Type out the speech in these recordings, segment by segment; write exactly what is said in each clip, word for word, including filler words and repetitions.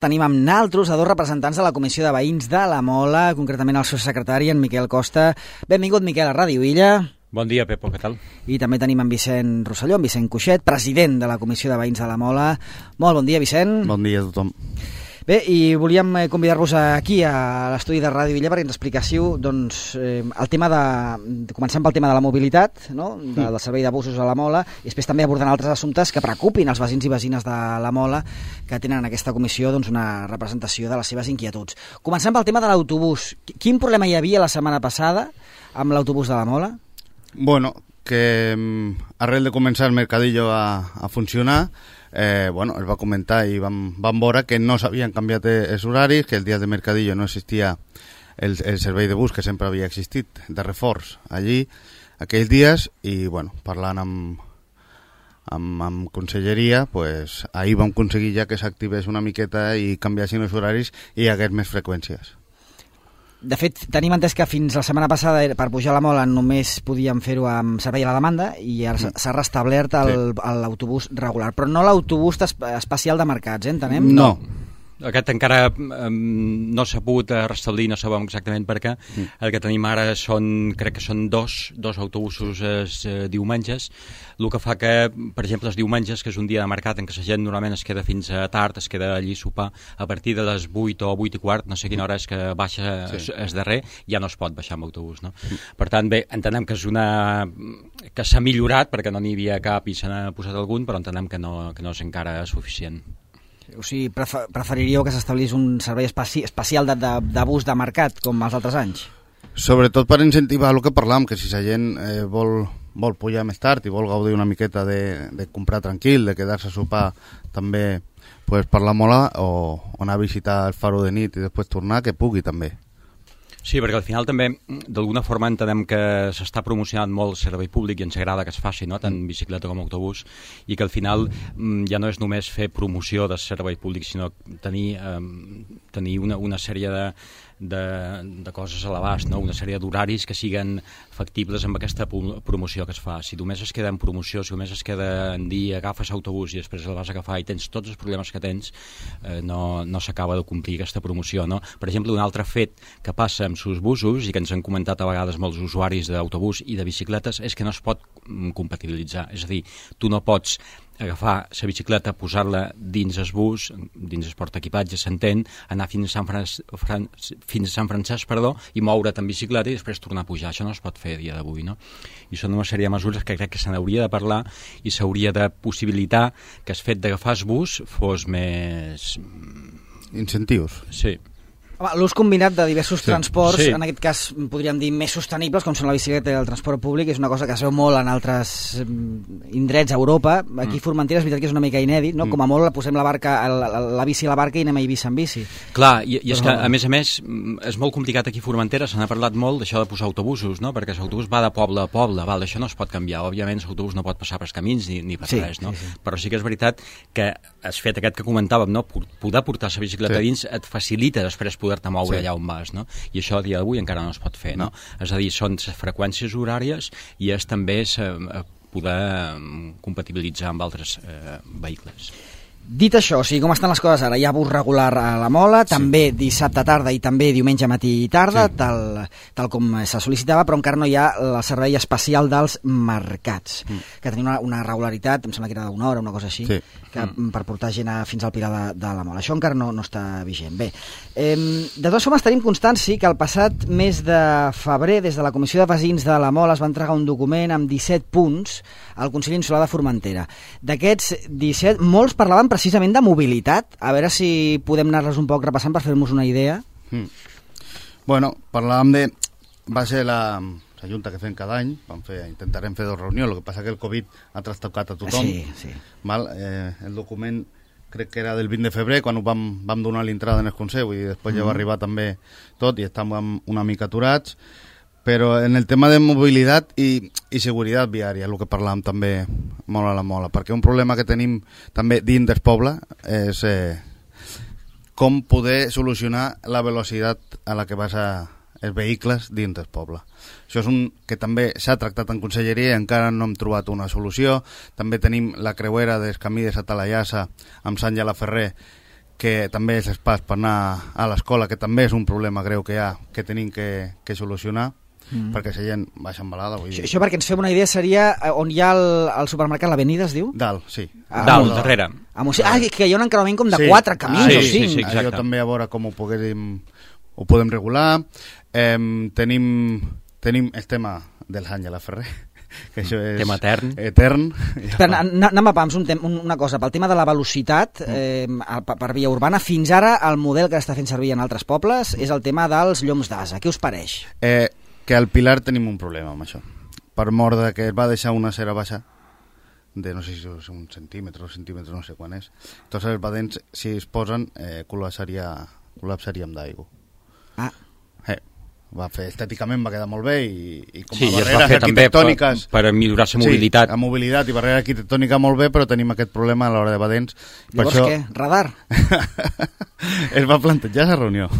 Tenim amb naltros a dos representants de la Comissió de Veïns de la Mola, concretament el seu secretari, en Miquel Costa. Benvingut, Miquel, a Ràdio Illa. Bon dia, Pepo, què tal? I també tenim en Vicent Rosselló, en Vicent Cuixet, president de la Comissió de Veïns de la Mola. Molt bon dia, Vicent. Bon dia a tothom. Bé, i volíem convidar-vos aquí a l'estudi de Ràdio Illa perquè ens expliquéssiu doncs, eh, el tema de... Començant pel tema de la mobilitat, no? de, del servei de busos a la Mola, i després també abordant altres assumptes que preocupin els veïns i veïnes de la Mola, que tenen en aquesta comissió doncs, una representació de les seves inquietuds. Començant pel tema de l'autobús. Quin problema hi havia la setmana passada amb l'autobús de la Mola? Bueno, que arrel de començar el Mercadillo a, a funcionar, eh, bueno, es va comentar i vam, vam veure que no s'havien canviat els horaris, que el dia de Mercadillo no existia el, el servei de bus que sempre havia existit, de reforç allí, aquells dies, i bueno, parlant amb, amb, amb conselleria, pues, ahir vam aconseguir ja que s'activés una miqueta i canviassin els horaris i hi hagués més freqüències. De fet, tenim entès que fins la setmana passada per pujar a la Mola només podíem fer-ho amb servei a la demanda i ara mm. s'ha restablert l'autobús sí. regular, però no l'autobús especial de mercats, eh, entenem? No. Aquest encara um, no s'ha pogut restablir, no sabem exactament per què. Mm. El que tenim ara són, crec que són dos, dos autobusos eh, diumenges, el que fa que, per exemple, els diumenges, que és un dia de mercat en què la gent normalment es queda fins a tard, es queda allí a sopar, a partir de les vuit o vuit i quart, no sé quina hora és que baixa sí. es darrer, ja no es pot baixar amb autobús, no? Mm. Per tant, bé, entenem que és una... que s'ha millorat, perquè no n'hi havia cap i se n'ha posat algun, però entenem que no, que no és encara suficient. O sigui, preferiríeu que s'establís un servei especi especial de, de, de bus de mercat, com els altres anys? Sobretot per incentivar el que parlàvem, que si la gent eh, vol, vol pujar més tard i vol gaudir una miqueta de, de comprar tranquil, de quedar-se a sopar també pues, per la Mola, o, o anar a visitar el Faro de nit i després tornar, que pugui també. Sí, perquè al final també, d'alguna forma, entenem que s'està promocionant molt el servei públic i ens agrada que es faci, no? Tant bicicleta com autobús, i que al final ja no és només fer promoció del servei públic, sinó tenir, eh, tenir una, una sèrie de, de, de coses a l'abast, no? Una sèrie d'horaris que siguen factibles amb aquesta promoció que es fa. Si només es queda en promoció, si només es queda en dir agafes autobús i després el vas a agafar i tens tots els problemes que tens, eh, no, no s'acaba de complir aquesta promoció, no? Per exemple, un altre fet que passa amb sus busos i que ens han comentat a vegades molts usuaris d'autobús i de bicicletes és que no es pot compatibilitzar, és a dir, tu no pots agafar la bicicleta, posar-la dins el bus, dins el portaequipatge, s'entén, anar fins a Sant, Fran Fran fins a Sant Francesc, perdó, i moure't en bicicleta i després tornar a pujar. Això no es pot fer a dia d'avui, no? I són una sèrie de mesures que crec que se n'hauria de parlar i s'hauria de possibilitar que el fet d'agafar el bus fos més... Incentius. Sí. L'ús combinat de diversos sí. transports, sí. en aquest cas podríem dir més sostenibles, com són la bicicleta i el transport públic, és una cosa que es veu molt en altres indrets a Europa. Aquí a Formentera és veritat que és una mica inèdit, no? Mm. Com a molt posem la, barca, la, la bici a la barca i anem a Eivissa en bici. Clar, i, i és que a més a més és molt complicat aquí a Formentera, se n'ha parlat molt d'això de posar autobusos, no? Perquè l'autobús va de poble a poble, val, això no es pot canviar, òbviament l'autobús no pot passar pels camins ni, ni per sí, res, no? Sí, sí. Però sí que és veritat que el fet aquest que comentàvem, no? Poder portar la bicicleta sí. dins et facilita després poder-te moure sí. allà on vas, no? I això a dia d'avui encara no es pot fer, no? no? És a dir, són les freqüències horàries i és també poder compatibilitzar amb altres eh, vehicles. Dit això, o sigui, com estan les coses ara? Hi ha bus regular a la Mola, sí. també dissabte tarda i també diumenge matí i tarda, sí. tal, tal com se sol·licitava, però encara no hi ha el servei especial dels mercats, mm. que tenia una, una regularitat, em sembla que era d'una hora, una cosa així, sí. que mm. per portar gent a, fins al Pilar de, de la Mola. Això encara no, no està vigent. Bé, eh, de totes formes tenim constància que el passat mes de febrer, des de la Comissió de Veïns de la Mola, es va entregar un document amb disset punts al Consell Insular de Formentera. D'aquests disset, molts parlaven precisament de mobilitat. A veure si podem anar-les un poc repassant per fer-nos una idea. Mm. Bueno, parlàvem de... Va ser la, la junta que fem cada any, vam fer, intentarem fer dos reunions, el que passa que el Covid ha trastocat a tothom. Sí, sí. Mal, eh, el document crec que era del vint de febrer, quan vam, vam donar l'entrada en el Consell, i després mm. ja va arribar també tot, i estàvem una mica aturats. Però en el tema de mobilitat i, i seguretat viària, el que parlàvem també molt a la Mola, perquè un problema que tenim també dins del poble és eh, com poder solucionar la velocitat a la que vas a els vehicles dins del poble. Això és un que també s'ha tractat en conselleria i encara no hem trobat una solució. També tenim la creuera del camí de Santa Llassa amb Sant Gela Ferrer, que també és pas per anar a l'escola, que també és un problema greu que hi ha, que tenim que, que solucionar, mm. perquè la gent baixa embalada. Vull dir. Això, això perquè ens fem una idea seria on hi ha el, el supermercat, l'Avenida es diu? Dalt, sí. Ah, Dalt, darrere. Ah, ah, que hi ha un encreuament com de sí. quatre camins ah, sí, o cinc. Sí, sí, Allò també a veure com ho, poguéssim, ho podem regular. Eh, tenim, tenim el tema dels Àngela Ferrer, que això és tema etern, etern. Espera, anem a pams, un tem una cosa, pel tema de la velocitat eh, per via urbana, fins ara el model que està fent servir en altres pobles és el tema dels lloms d'asa. Què us pareix? Eh, que al Pilar tenim un problema amb això, per mort de que es va deixar una cera baixa de no sé si és un centímetre o centímetre, no sé quan és. Tots els badents, si es posen, eh, col·lapsaria, col·lapsaríem d'aigua. Ah. Eh, va fer estèticament, va quedar molt bé i, i com a sí, barreres arquitectòniques per, per millorar la mobilitat. Sí, la mobilitat i barrera arquitectònica molt bé, però tenim aquest problema a l'hora de badents. Llavors per això... què? Radar? Es va plantejar la reunió.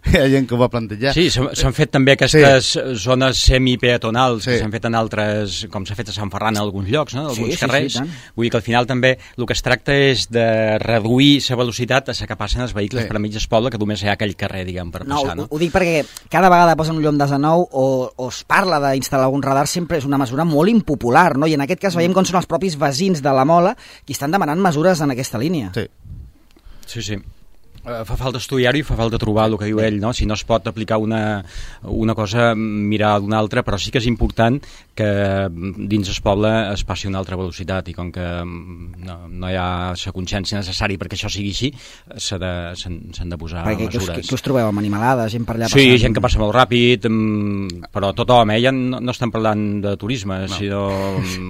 Hi ha gent que ho va plantejar. Sí, s'han fet també aquestes sí. zones semipeatonals sí. que s'han fet en altres, com s'ha fet a Sant Ferran en alguns llocs, no? en alguns sí, carrers. Sí, sí, Vull dir que al final també el que es tracta és de reduir la velocitat a la que passen els vehicles sí. per mig del poble, que només hi ha aquell carrer, diguem, per no, passar. No, ho, ho dic perquè cada vegada posen un llom d'asa nou o, o es parla d'instal·lar algun radar, sempre és una mesura molt impopular, no? I en aquest cas veiem com són els propis veïns de la Mola qui estan demanant mesures en aquesta línia. Sí, sí. sí. Uh, fa falta estudiar-ho i fa falta trobar el que diu ell, no? Si no es pot aplicar una, una cosa, mirar d'una altra, però sí que és important que dins el poble es passi una altra velocitat i com que no, no hi ha la consciència necessària perquè això sigui així, s'han de, de posar perquè mesures. Què us, què us trobeu amb animalades, gent per allà sí, passant? gent que passa molt ràpid, però tothom, eh? Ja no, no estem parlant de turisme, no. sinó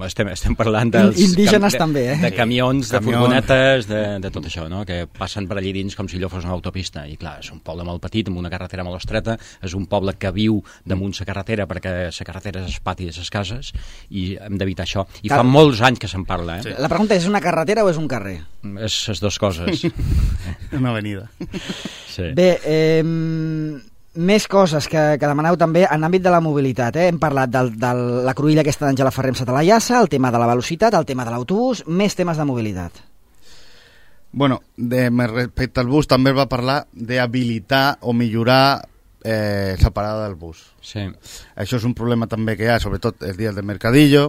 estem, estem parlant dels... Indígenes de, també, eh? De camions, de Camions. furgonetes, de, de tot això, no? Que passen per allí dins com si allò fos una autopista, i clar, és un poble molt petit amb una carretera molt estreta, és un poble que viu damunt la carretera perquè la carretera és el pati de les cases i hem d'evitar això, i Cal... fa molts anys que se'n parla, eh? Sí. La pregunta és, és una carretera o és un carrer? És les dues coses. una avenida. Sí. Bé, eh, més coses que, que demaneu també en l'àmbit de la mobilitat, eh? Hem parlat de, de la cruïlla aquesta d'Àngela Ferrer amb Sata la Llassa, el tema de la velocitat, el tema de l'autobús, més temes de mobilitat. Bueno, de, respecte al bus també es va parlar d'habilitar o millorar eh, la parada del bus. Sí. Això és un problema també que hi ha, sobretot els dies del mercadillo,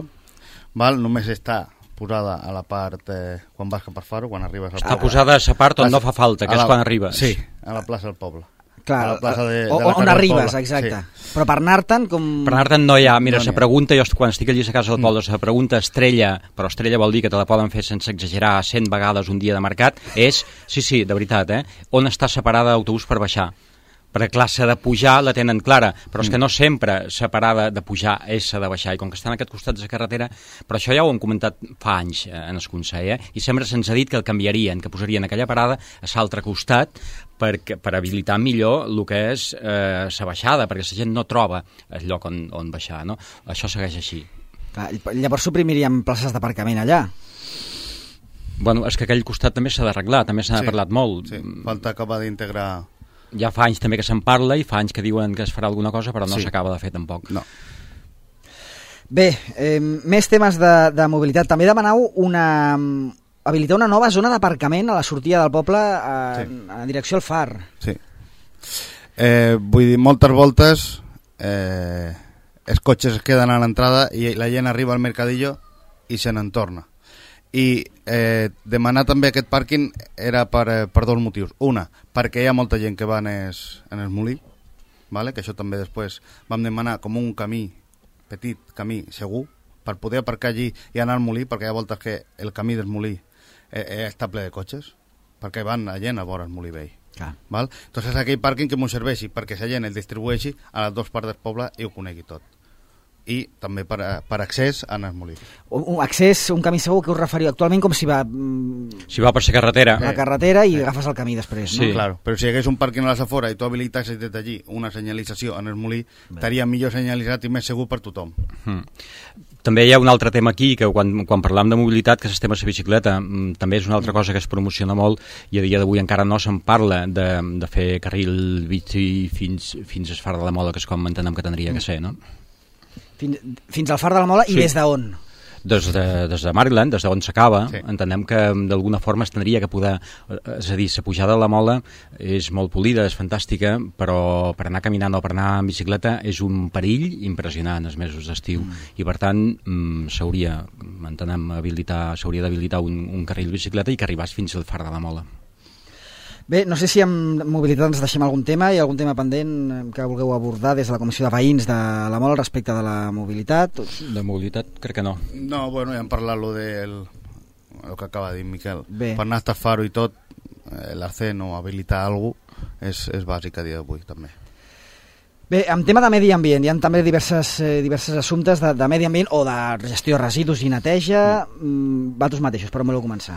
val? Només està posada a la part, eh, quan vas cap a Faro, quan arribes al poble. Està posada a la part on no fa falta, que la, és quan arribes. Sí, a la plaça del poble. Clar, a la plaça de, de o, la on arribes, poble. exacte. Sí. Però per anar-te'n com... Per anar-te'n no hi ha. Mira, no la pregunta, jo quan estic allí a casa del poble, la pregunta estrella, però estrella vol dir que te la poden fer sense exagerar cent vegades un dia de mercat, és, sí, sí, de veritat, eh? On està separada d'autobús per baixar? Perquè clar, s'ha de pujar la tenen clara, però és que no sempre la parada de pujar és la de baixar, i com que estan a aquest costat de la carretera, però això ja ho hem comentat fa anys eh, en el Consell, eh? I sempre se'ns ha dit que el canviarien, que posarien aquella parada a l'altre costat per, per habilitar millor el que és la eh, baixada, perquè la gent no troba el lloc on, on baixar, no? Això segueix així. Clar, llavors suprimiríem places d'aparcament allà. Bueno, és que aquell costat també s'ha d'arreglar, també s'ha sí, parlat molt. Sí, falta acabar d'integrar... Ja fa anys també que se'n parla i fa anys que diuen que es farà alguna cosa, però no s'acaba sí. de fer tampoc. No. Bé, eh, més temes de, de mobilitat. També demanau una, habilitar una nova zona d'aparcament a la sortida del poble a, sí. a direcció al Far. Sí. Eh, vull dir, moltes voltes eh, els cotxes es queden a l'entrada i la gent arriba al mercadillo i se n'en torna. I eh, demanar també aquest pàrquing era per, eh, per dos motius. Una, perquè hi ha molta gent que va en el, en el molí, vale? Que això també després vam demanar com un camí, petit camí segur, per poder aparcar allí i anar al molí, perquè hi ha voltes que el camí del molí eh, eh, està ple de cotxes, perquè van la gent a veure el molí vell. Ah. Val? Entonces aquell pàrquing que m'ho serveixi perquè la gent el distribueixi a les dues parts del poble i ho conegui tot. I també per, per accés a el molí. Un accés, un camí segur que us referiu actualment com si va... Si va per la carretera. La carretera i eh. agafes el camí després, sí. no? Claro, però si hi hagués un pàrquing a les afores i tu habilitassis des d'allí una senyalització en el molí, estaria millor senyalitzat i més segur per tothom. Hmm. També hi ha un altre tema aquí, que quan, quan parlam de mobilitat, que és el tema de la bicicleta, també és una altra cosa que es promociona molt i a dia d'avui encara no se'n parla de, de fer carril bici fins, fins al Far de la Mola, que és com entenem que tindria que ser, no? Fins, fins al Far de la Mola i sí. des d'on? Des de, des de Maryland, des d'on s'acaba, sí. entenem que d'alguna forma es tindria que poder... És a dir, la pujada de la Mola és molt polida, és fantàstica, però per anar caminant o per anar en bicicleta és un perill impressionant els mesos d'estiu. Mm. I per tant, s'hauria, entenem, habilitar, s'hauria d'habilitar un, un carril de bicicleta i que arribàs fins al far de la Mola. Bé, no sé si amb mobilitat ens deixem algun tema, hi ha algun tema pendent que vulgueu abordar des de la Comissió de Veïns de la Mola respecte de la mobilitat? De mobilitat crec que no. No, bueno, ja hem parlat lo del el que acaba de dir Miquel. Bé. Per anar a Faro i tot, eh, l'Arcén o habilitar alguna cosa és, és bàsic a dia d'avui també. Bé, en tema de medi ambient, hi ha també diverses, eh, diverses assumptes de, de medi ambient o de gestió de residus i neteja. Mm. Vosaltres mateixos, però voleu començar.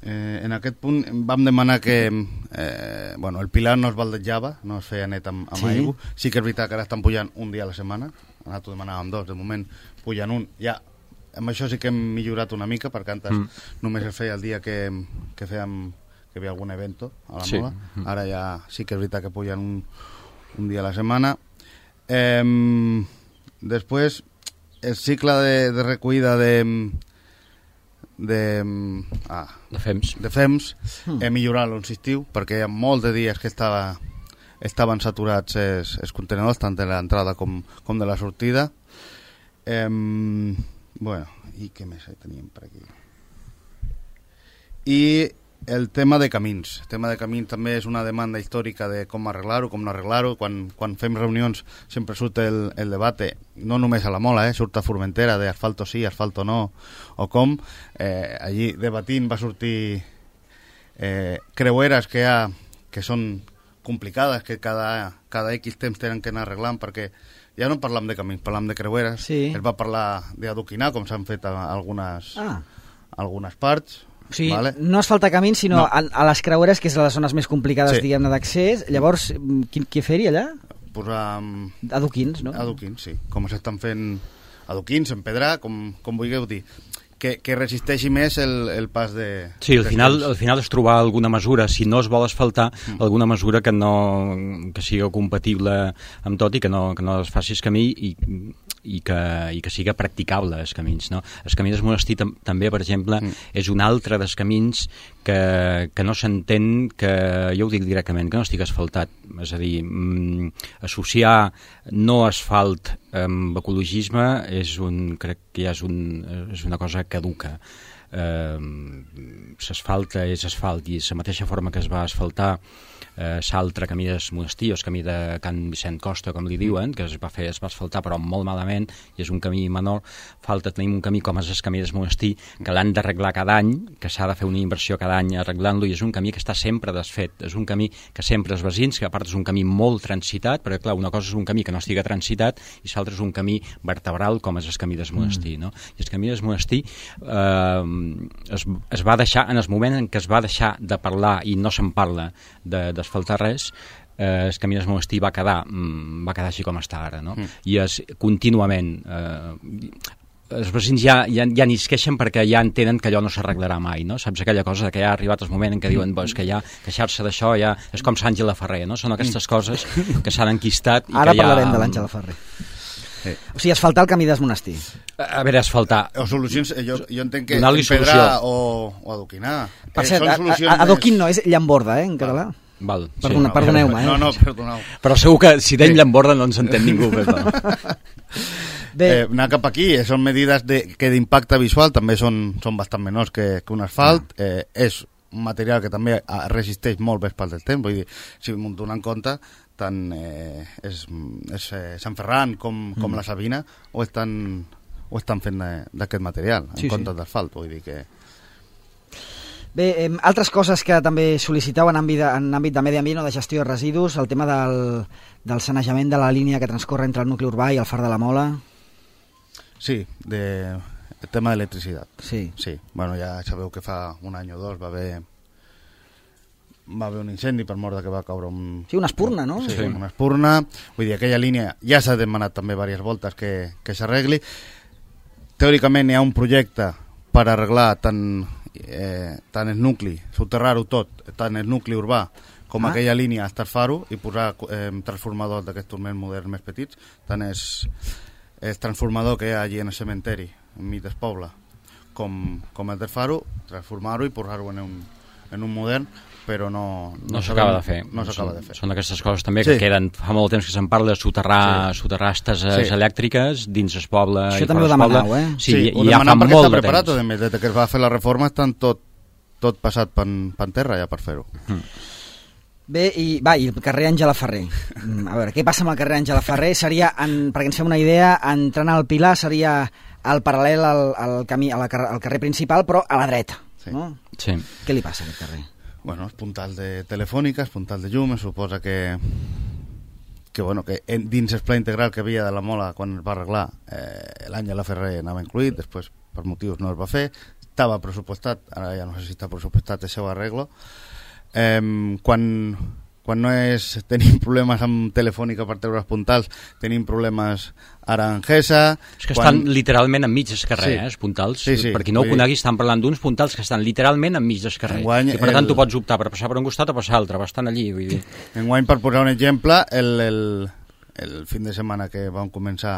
Eh, en aquest punt vam demanar que eh, bueno, el Pilar no es baldejava, no es feia net amb, amb sí. aigua. Sí que és veritat que ara estan pujant un dia a la setmana, nosaltres demanàvem dos, de moment pujan un. Ja, amb això sí que hem millorat una mica, perquè antes mm. només es feia el dia que, que fèiem que hi havia algun evento a la sí. Mola. Mm. Ara ja sí que és veritat que pujan un, un dia a la setmana. Eh, després, el cicle de, de recollida de... de, ah, de fems, de fems mm. he millorat l'insistiu perquè hi ha molts de dies que estava, estaven saturats els, els contenedors tant de l'entrada com, com de la sortida. eh, bueno, i què més teníem per aquí? I el tema de camins el tema de camins també és una demanda històrica de com arreglar-ho, com no arreglar-ho. Quan, quan fem reunions sempre surt el, el debate, no només a la Mola, eh, surt a Formentera de asfalto sí, asfalto no, o com eh, allí debatint va sortir eh, creueres que, ha, que són complicades, que cada, cada X temps tenen que anar arreglant, perquè ja no parlam de camins, parlam de creueres. Sí. Es va parlar d'adoquinar, com s'han fet a algunes, ah. algunes parts. O sigui, vale. no es falta camins, sinó no. a, a les creueres, que és les zones més complicades, sí. diguem-ne, d'accés. Llavors, qui, qui fer-hi allà? Posar... Um, adoquins, no? Adoquins, sí. Com s'estan fent adoquins, empedrar, com, com vulgueu dir. Que, que resisteixi més el, el pas de... Sí, al final, al final és trobar alguna mesura, si no es vol asfaltar, mm. alguna mesura que no que sigui compatible amb tot i que no, que no es faci el camí i, i, que, i que siga practicable els camins, no? El camí del monestir tam, també, per exemple, mm. és un altre dels camins que, que no s'entén que, jo ho dic directament, que no estigui asfaltat. És a dir, mm, associar no asfalt amb ecologisme és un, crec que ja és, un, és una cosa caduca. Eh, s'asfalta és asfalt i la mateixa forma que es va asfaltar eh, l'altre camí del monestir, el camí de Can Vicent Costa, com li diuen, que es va fer, es va asfaltar però molt malament i és un camí menor. Falta tenim un camí com és el camí del monestir, que l'han d'arreglar cada any, que s'ha de fer una inversió cada any arreglant-lo, i és un camí que està sempre desfet, és un camí que sempre els veïns, que a part és un camí molt transitat, perquè clar, una cosa és un camí que no estiga transitat i l'altre és un camí vertebral com és el camí del monestir, no? I el camí del monestir eh, es, es va deixar, en el moment en què es va deixar de parlar i no se'n parla de, d'asfaltar res, eh, el camí del monestir va quedar, va quedar així com està ara, no? Mm. I és contínuament... Eh, els veïns ja, ja, ja ni es queixen perquè ja entenen que allò no s'arreglarà mai, no? Saps aquella cosa que ja ha arribat el moment en què diuen pues, que ja queixar-se d'això ja és com Àngela Ferrer, no? Són aquestes coses que s'han enquistat i ara que ja... parlarem de l'Àngela Ferrer. Sí. O sigui, asfaltar el camí del monestir. A veure, asfaltar... O solucions, jo, jo entenc que empedrar o, o adoquinar. Per cert, eh, adoquin no, és llamborda, eh, en català. Val, Perdona, sí. Perdoneu-me, eh? No, no, perdoneu. Però segur que si deim sí. llamborda no ens entén ningú. Bé. Eh, anar cap aquí, eh, són medides de, que d'impacte visual també són, són bastant menors que, que un asfalt. Ah. Eh, és un material que també resisteix molt bé pel del temps, vull dir, si m'ho donen en compte, tant eh, és, és eh, Sant Ferran com, com mm. la Sabina ho estan, ho estan fent d'aquest material, en sí, comptes sí. d'asfalt, vull dir que... Bé, eh, altres coses que també sol·liciteu en àmbit, de, en àmbit de medi ambient o de gestió de residus, el tema del, del sanejament de la línia que transcorre entre el nucli urbà i el Far de la Mola. Sí, de, el tema d'electricitat. Sí. Sí, bueno, ja sabeu que fa un any o dos va haver va haver un incendi per mort que va caure un... Sí, una espurna, no? Sí, sí. una espurna. Vull dir, aquella línia ja s'ha demanat també diverses voltes que, que s'arregli. Teòricament hi ha un projecte per arreglar tant, eh, tant el nucli, soterrar-ho tot, tant el nucli urbà com ah. aquella línia a Estarfaro i posar eh, transformadors d'aquests més moderns més petits, tant és el transformador que hi ha allí en el cementeri, enmig del poble, com, com el del Faro, transformar-ho i posar-ho en un, en un modern, però no... No, no s'acaba de fer. No s'acaba de fer. Són d'aquestes coses també que sí. queden... Fa molt temps que se'n parla de soterrar, sí. soterrar estases sí. elèctriques dins el poble. Això també ho demanau, eh? Sí, sí ho ja demanam perquè està preparat, a més, des que es va fer la reforma estan tot, tot passat per terra ja per fer-ho. Mm. Bé, i, va, i el carrer Àngela Ferrer. A veure, què passa amb el carrer Àngela Ferrer? Seria, en, perquè ens fem una idea, entrant al Pilar seria al paral·lel al, al, camí, al, al carrer principal, però a la dreta. Sí. No? Sí. Què li passa a aquest carrer? Bueno, és puntal de telefònica, és puntal de llum, es suposa que, que, bueno, que dins el pla integral que havia de la Mola quan es va arreglar, eh, l'Àngela Ferrer anava incluït, després per motius no es va fer, estava pressupostat, ara ja no sé si està pressupostat el seu arreglo. Eh, quan, quan no és, tenim problemes amb telefònica per treure els puntals, tenim problemes ara en Gesa. És que quan... estan literalment enmig del carrer, sí. eh, els puntals. Sí, sí. Per qui no ho conegui, estan parlant d'uns puntals que estan literalment enmig del carrer. Enguany, i per tant el... tu pots optar per passar per un costat o passar l'altre, bastant allí. Vull dir. Enguany, per posar un exemple, el, el, el fin de setmana que vam començar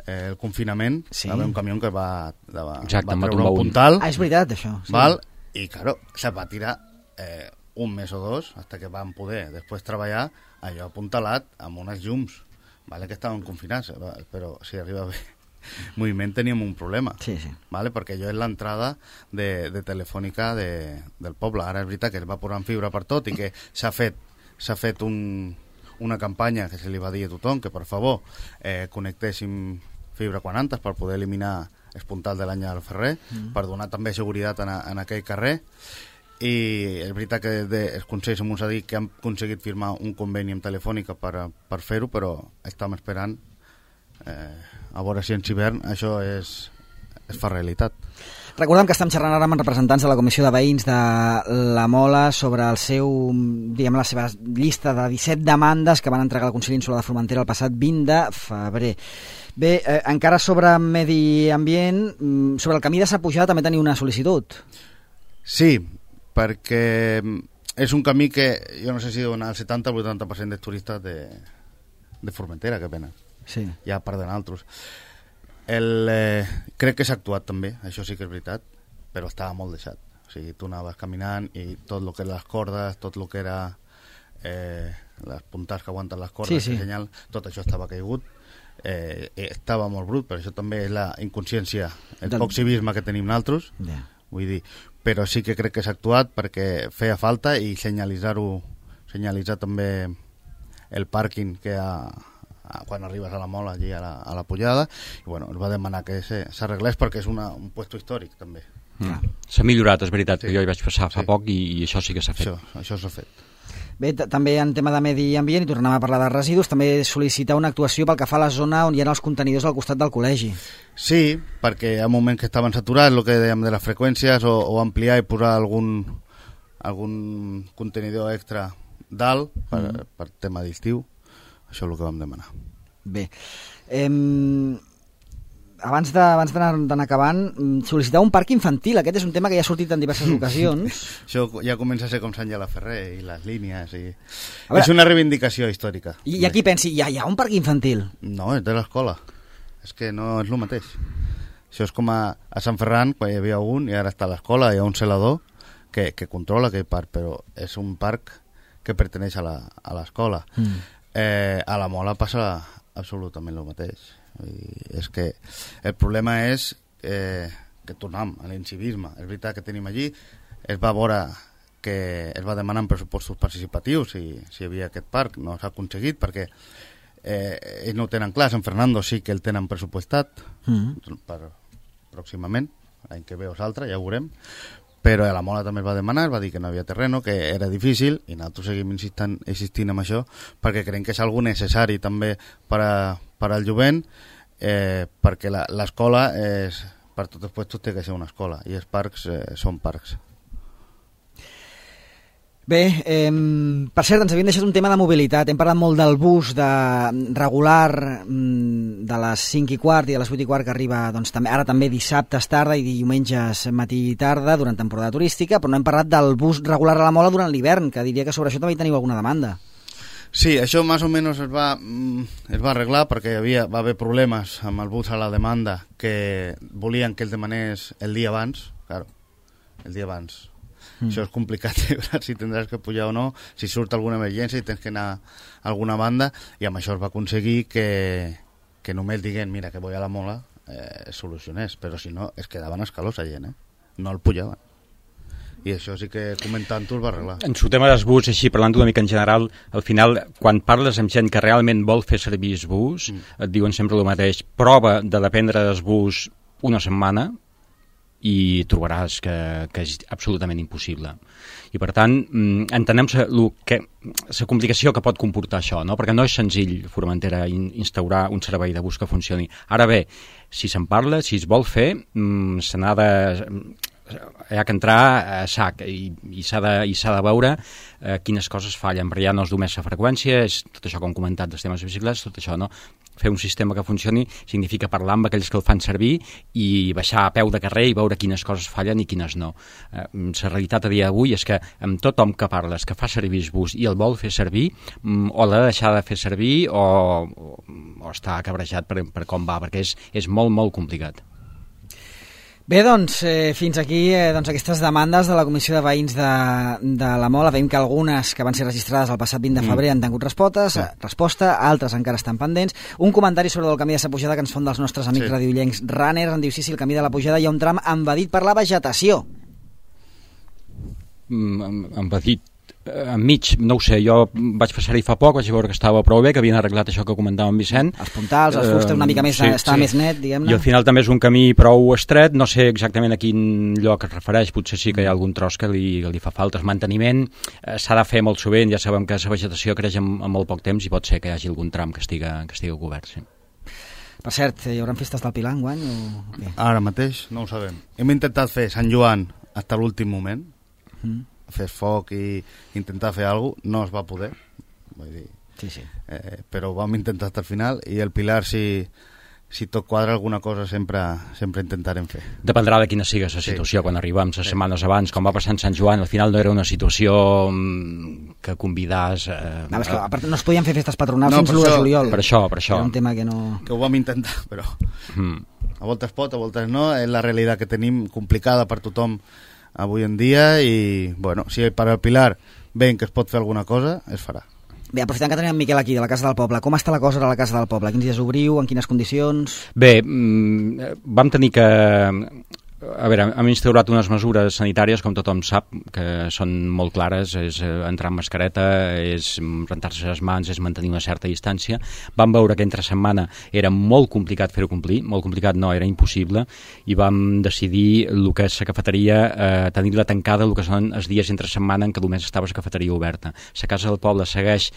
eh, el confinament, sí. va haver un camió que va, va, Exacte, va treure un puntal. Ah, és veritat, això. Sí. Val? I, claro, se va tirar... Eh, un mes o dos, hasta que van poder després treballar allò apuntalat amb unes llums, vale, que estaven confinats, però si arriba bé moviment teníem un problema, sí, sí. Vale, perquè allò és l'entrada de, de telefònica de, del poble. Ara és veritat que es va posar en fibra per tot i que s'ha fet, s'ha fet un, una campanya que se li va dir a tothom que per favor eh, connectéssim fibra quan antes per poder eliminar el puntal de l'Àngela Ferrer, mm. per donar també seguretat en, en aquell carrer. I és veritat que de, els consells ens ha dit que han aconseguit firmar un conveni amb Telefònica per, per fer-ho, però estem esperant eh, a veure si en hivern això és, es fa realitat. Recordem que estem xerrant ara amb representants de la Comissió de Veïns de la Mola sobre el seu, diguem, la seva llista de disset demandes que van entregar al Consell Insular de Formentera el passat vint de febrer. Bé, eh, encara sobre medi ambient, sobre el camí de Sa Pujada també teniu una sol·licitud. Sí, perquè és un camí que jo no sé si dona el setanta o vuitanta per cent dels turistes de, de Formentera que venen, sí. ja per d'altres. El, eh, crec que s'ha actuat també, això sí que és veritat, però estava molt deixat. O sigui, tu anaves caminant i tot el que eren les cordes, tot el que era eh, les puntals que aguanten les cordes, sí, sí. Senyal, tot això estava caigut. Eh, estava molt brut, però això també és la inconsciència, el Del... poc civisme que tenim nosaltres, yeah. Vull dir, però sí que crec que s'ha actuat perquè feia falta i senyalitzar-ho, senyalitzar també el pàrquing que hi ha quan arribes a la Mola, allí a la, a la Pujada, i bueno, es va demanar que s'arreglés perquè és una, un puesto històric també. Mm. S'ha millorat, és veritat, sí. Que jo hi vaig passar fa sí. poc i, i això sí que s'ha fet. Això, això s'ha fet. Bé, també en tema de medi ambient, i tornem a parlar de residus, també sol·licitar una actuació pel que fa a la zona on hi ha els contenidors al costat del col·legi. Sí, perquè hi ha moments que estaven saturats, el que dèiem de les freqüències, o, o ampliar i posar algun, algun contenidor extra dalt per, mm. per tema d'estiu. Això és el que vam demanar. Bé, eh, abans d'anar acabant, sol·licitar un parc infantil. Aquest és un tema que ja ha sortit en diverses ocasions. Això ja comença a ser com s'Àngela Ferrer i les línies. I... Veure, és una reivindicació històrica. I, i aquí pensi, ja hi ha un parc infantil? No, és de l'escola. És que no és el mateix. Això és com a, a Sant Ferran, quan hi havia un, i ara està a l'escola, hi ha un celador que, que controla aquell parc, però és un parc que perteneix a l'escola. Mm. Eh, a la Mola passa absolutament el mateix. I és que el problema és eh, que tornem a l'incivisme. És veritat que tenim allí, es va veure que es va demanar en pressupostos participatius si, si hi havia aquest parc, no s'ha aconseguit perquè eh, ells no ho tenen clar. Sant Fernando sí que el tenen pressupostat mm-hmm. per pròximament, l'any que ve o l'altre, ja ho veurem, però a la Mola també es va demanar, es va dir que no havia terreno, que era difícil, i nosaltres seguim insistent, insistint en això, perquè creiem que és algo necessari també per, a, per al jovent, eh, perquè l'escola, és, per tots els puestos, té que ser una escola, i els parcs eh, són parcs. Bé, eh, per cert, ens havien deixat un tema de mobilitat. Hem parlat molt del bus de regular de les cinc i quart i de les vuit i quart que arriba doncs, també, ara també dissabtes tarda i diumenges matí i tarda durant temporada turística, però no hem parlat del bus regular a la Mola durant l'hivern, que diria que sobre això també hi teniu alguna demanda. Sí, això més o menys es va, es va arreglar perquè hi havia, va haver problemes amb el bus a la demanda que volien que el demanés el dia abans, claro, el dia abans. Mm. Això és complicat, si tindràs que pujar o no, si surt alguna emergència i tens que anar a alguna banda, i amb això es va aconseguir que, que només diguen, mira, que voy a la Mola, eh, solucionés, però si no, es quedaven escalós a gent, eh? No el pujaven. I això sí que comentant-ho es va arreglar. En el tema dels bus, així, parlant una mica en general, al final, quan parles amb gent que realment vol fer servir el bus, mm. et diuen sempre el mateix, prova de dependre del bus una setmana, i trobaràs que, que és absolutament impossible. I per tant, entenem la complicació que pot comportar això, no? Perquè no és senzill, Formentera, instaurar un servei de bus que funcioni. Ara bé, si se'n parla, si es vol fer, se n'ha de... hi ha que entrar a sac i, i s'ha de, i s'ha de veure eh, quines coses fallen, però ja no és només la freqüència, és tot això com hem comentat dels temes de bicicletes, tot això, no? Fer un sistema que funcioni significa parlar amb aquells que el fan servir i baixar a peu de carrer i veure quines coses fallen i quines no. Eh, la realitat a dia d'avui és que amb tothom que parles que fa servir el bus i el vol fer servir, o l'ha de deixar de fer servir o, o, o està cabrejat per, per com va, perquè és, és molt, molt complicat. Bé, doncs, eh, fins aquí eh, doncs, aquestes demandes de la Comissió de Veïns de, de la Mola. Veiem que algunes que van ser registrades el passat vint de febrer han tingut respostes, sí. resposta, altres encara estan pendents. Un comentari sobre el camí de la Pujada que ens fon dels nostres amics sí. radiollencs runners. En diu, sí, sí, el camí de la Pujada hi ha un tram envaït per la vegetació. Mm, envaït. Enmig, no ho sé, jo vaig passar-hi fa poc, vaig veure que estava prou bé, que havien arreglat això que comentava en Vicent. Els puntals, els fustes, una mica més, sí, està sí. més net, diguem-ne. I al final també és un camí prou estret, no sé exactament a quin lloc es refereix, potser sí que hi ha algun tros que li, que li fa falta. El manteniment eh, s'ha de fer molt sovint, ja sabem que la vegetació creix en, en molt poc temps i pot ser que hi hagi algun tram que estiga, que estiga cobert, sí. Per cert, hi haurà festes del Pilar enguany o què? Ara mateix no ho sabem. Hem intentat fer Sant Joan fins a l'últim moment, mm. fer foc i intentar fer alguna cosa, no es va poder, vull dir, sí, sí. Eh, però ho vam intentar fins al final, i el Pilar, si, si tot quadra alguna cosa, sempre, sempre intentarem fer. Dependrà de quina sigui la situació, sí. quan arribem les sí. setmanes abans, com va passar en Sant Joan, al final no era una situació que convidàs... Eh, no, és que, a part, no es podien fer festes patronals no, fins l'u de juliol. Per això, per això. Era un tema que no... Que ho vam intentar, però mm. a voltes pot, a voltes no, és la realitat que tenim, complicada per tothom avui en dia, i bueno, si per al Pilar veiem que es pot fer alguna cosa, es farà. Bé, aprofitant que tenim en Miquel aquí, de la Casa del Poble, com està la cosa a la Casa del Poble? Quins dies obriu, en quines condicions? Bé, vam tenir que... A veure, hem instaurat unes mesures sanitàries, com tothom sap, que són molt clares, és entrar amb mascareta, és rentar-se les mans, és mantenir una certa distància. Vam veure que entre setmana era molt complicat fer-ho complir, molt complicat no, era impossible, i vam decidir el que és la cafeteria, eh, tenir-la tancada el que són els dies entre setmana en què només estava la cafeteria oberta. La Casa del Poble segueix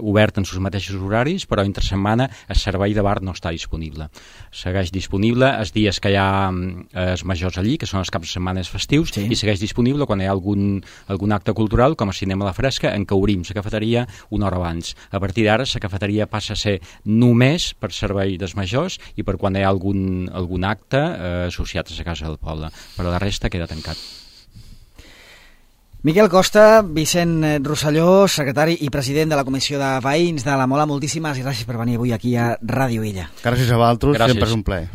obert en els mateixos horaris, però entre setmana el servei de bar no està disponible. Segueix disponible els dies que hi ha els majors allí, que són els caps de setmana festius, sí. i segueix disponible quan hi ha algun, algun acte cultural, com a Cinema a la Fresca, en què obrim la cafeteria una hora abans. A partir d'ara, la cafeteria passa a ser només per servei dels majors i per quan hi ha algun, algun acte eh, associat a la Casa del Poble. Però la resta queda tancat. Miquel Costa, Vicent Rosselló, secretari i president de la Comissió de Veïns de la Mola, moltíssimes gràcies per venir avui aquí a Ràdio Illa. Gràcies a vosaltres, sempre és un plaer.